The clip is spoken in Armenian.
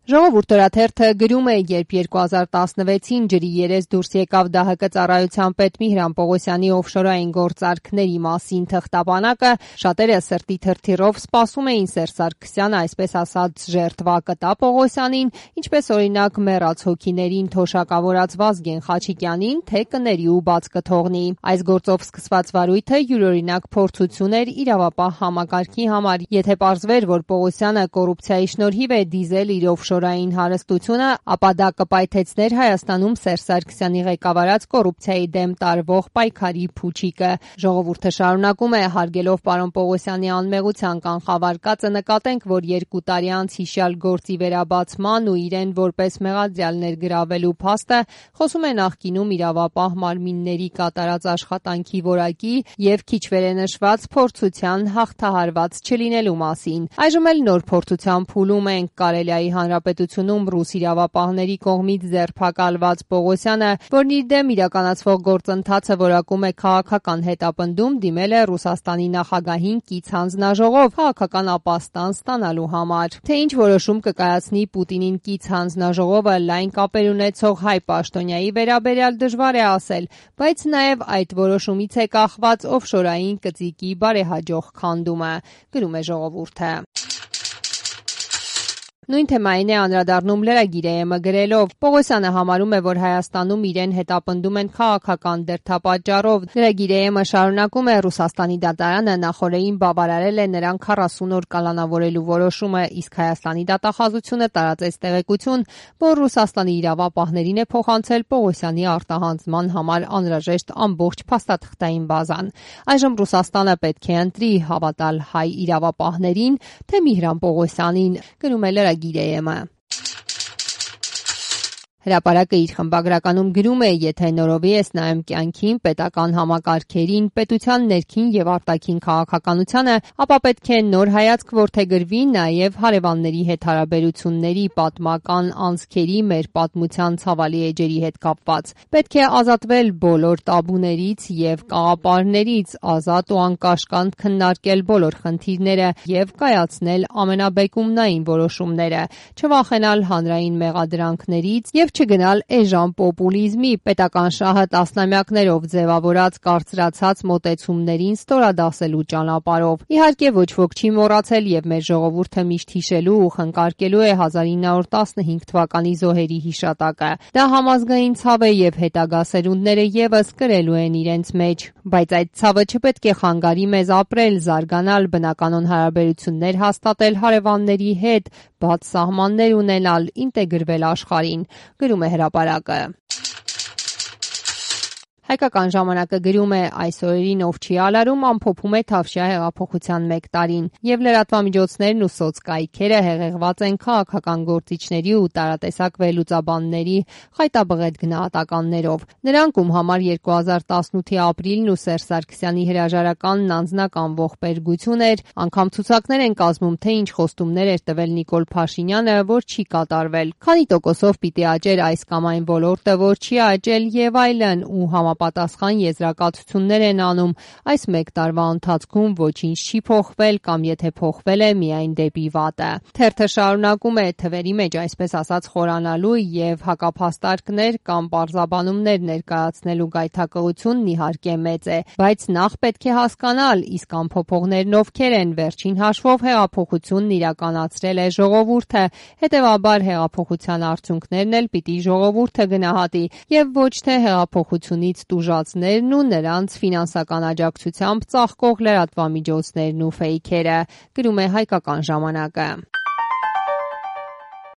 Ժողովուրդ օրաթերթը գրում է, երբ 2016-ին ջրի երես դուրս եկավ ԴՀԿ ծառայության պետ Միհրան Պողոսյանի օֆշորային գործարքների մասին թղթապանակը, շատերը սրտի թրթիռով սպասում էին Սերժ Սարգսյանը, այսպես ասած, ժերտվա կտա Պողոսյանին, ինչպես օրինակ մեռած հոգիներին թոշակավորած Վազգեն Խաչիկյանին, թե կների ու բաց կթողնի։ Այս գործով սկսված վարույթը յուրօրինակ փորձություն էր իրավապահ համակարգի համար, եթե պարզվեր, որ Պողոսյանը կոռուպցիայի շնորհիվ է դիզել իր օֆշորային հարստությունը, ապա դա կպայթեցներ Հայաստանում Սերժ Սարգսյանի ղեկավարած կոռուպցիայի դեմ տարվող պայքարի փուչիկը։ Ժողովուրդը շարունակում է, հարգելով պարոն Պողոսյանի անմեղության կանխավարկածը, նկատենք, որ 2 տարի անց հիշյալ գործի վերաբացման ու իրեն որպես մեղադրյալ ներգրավելու փաստը խոսում է նախկինում իրավապահ մարմինների կատարած աշխատանքի որակի և քիչ վերենշված փորձության հաղթահարված չլինելու մասին։ Այժմ էլ նոր փորձության փուլում ենք, Կարելիայի Հանրապետությունում ռուս իրավապահների կողմից ձերբակալված Պողոսյանը, որն իր դեմ իրականացվող գործընթացը որակում է քաղաքական հետապնդում, դիմել է Ռուսաստանի նախագահին կից հանձնաժողով քաղաքական ապաստան ստանալու համար։ Թե ինչ որոշում կկայացնի Պուտինին կից հանձնաժողովը լայն կապեր ունեցող հայ պաշտոնյայի վերաբերյալ դժվար է ասել, բայց նաև այդ որոշումից է կախված օֆշորային կծիկի բարեհաջող քանդումը, գրում է Ժողովուրդը։ Նույն թեմային է անդրադառնում Lragir.am-ը գրելով. Պողոսյանը համարում է, որ Հայաստանում իրեն հետապնդում են քաղաքական դրդապատճառով։ Lragir.am-ը շարունակում է, Ռուսաստանի դատարանը նախօրեին բավարարել է նրան 40 օր կալանավորելու որոշումը, իսկ Հայաստանի դատախազությունը տարածեց տեղեկություն, որ Ռուսաստանի իրավապահներին է փոխանցել Պողոսյանի արտահանձնման համար անհրաժեշտ ամբողջ փաստաթղթային բազան։ Այժմ Ռուսաստանը պետք է ընտրի հավատալ հայ իրավապահներին, թե Միհրան Պողոսյանին, գրում է Lragir.am-ը։ Հրապարակը իր խմբագրականում գրում է, եթե նորովի ես նայում կյանքին, պետական համակարգերին, պետության ներքին եւ արտաքին քաղաքականությանը, ապա պետք է նոր հայացք որդեգրվի նաեւ հարևանների հետ հարաբերությունների, պատմական անցքերի, մեր պատմության ցավալի էջերի հետ կապված։ Պետք է ազատվել բոլոր տաբուներից եւ կաղապարներից, ազատ ու անկաշկանդ քննարկել բոլոր խնդիրները եւ կայացնել ամենաբեկումնային որոշումները, չվախենալ հանրային մեղադրանքներից եւ չգնալ էժան պոպուլիզմի, պետական շահը տասնամյակներով ձևավորած կարծրացած մոտեցումներին ստորադասելու ճանապարհով։ Իհարկե ոչ ոք չի մոռացել եւ մեր ժողովուրդը միշտ հիշելու ու խնկարկելու է 1915 թվականի զոհերի հիշատակը։ Դա համազգային ցավ է եւ հետագա սերունդները եւս կրելու են իրենց մեջ, բայց այդ ցավը չպետք է խանգարի մեզ ապրել, զարգանալ, բնականon հարաբերություններ հաստատել հարևանների հետ, բաց սահմաններ ունենալ, ինտեգրվել աշխարհին, գրում է հրապարակը։ Հայկական ժամանակը գրում է, այս օրերին ով չի ալարում ամփոփում է Թավշյա հեղափոխության 1 տարին, եւ լրատվամիջոցներն ու սոցկայքերը հեղեղված են քաղաքական գործիչների ու տարատեսակ վերլուծաբանների խայտաբղետ գնահատականներով։ Նրանք, ում համար 2018-ի ապրիլն ու Սերժ Սարգսյանի հրաժարականն անձնական ողբերգություն էր, անգամ ցուցակներ են կազմում, թե ինչ խոստումներ էր տվել Նիկոլ Փաշինյանը, որ չի կատարվել, քանի տոկոսով պիտի աճեր այս կամ այն ոլորտը, որ չի աճել եւ այլն, ու համապատասխան եզրակացություններ են անում, այս 1 տարվա ընթացքում ոչինչ չի փոխվել կամ եթե փոխվել է միայն դեպի վատը։ Թերթը շարունակում է, թվերի մեջ այսպես ասած խորանալու եւ հակափաստարկներ կամ պարզաբանումներ ներկայացնելու գայթակղությունն իհարկե մեծ է, բայց նախ պետք է հասկանալ, իսկ ամփոփողներն ովքեր են, վերջին հաշվով հեղափոխությունն իրականացրել է ժողովուրդը, հետեւաբար հեղափոխության արդյունքներն էլ պիտի ժողովուրդը գնահատի եւ ոչ թե հեղափոխությունից տուժածներն ու նրանց ֆինանսական աջակցությամբ ծաղկող լրատվամիջոցներն ու ֆեյքերը, գրում է Հայկական ժամանակը։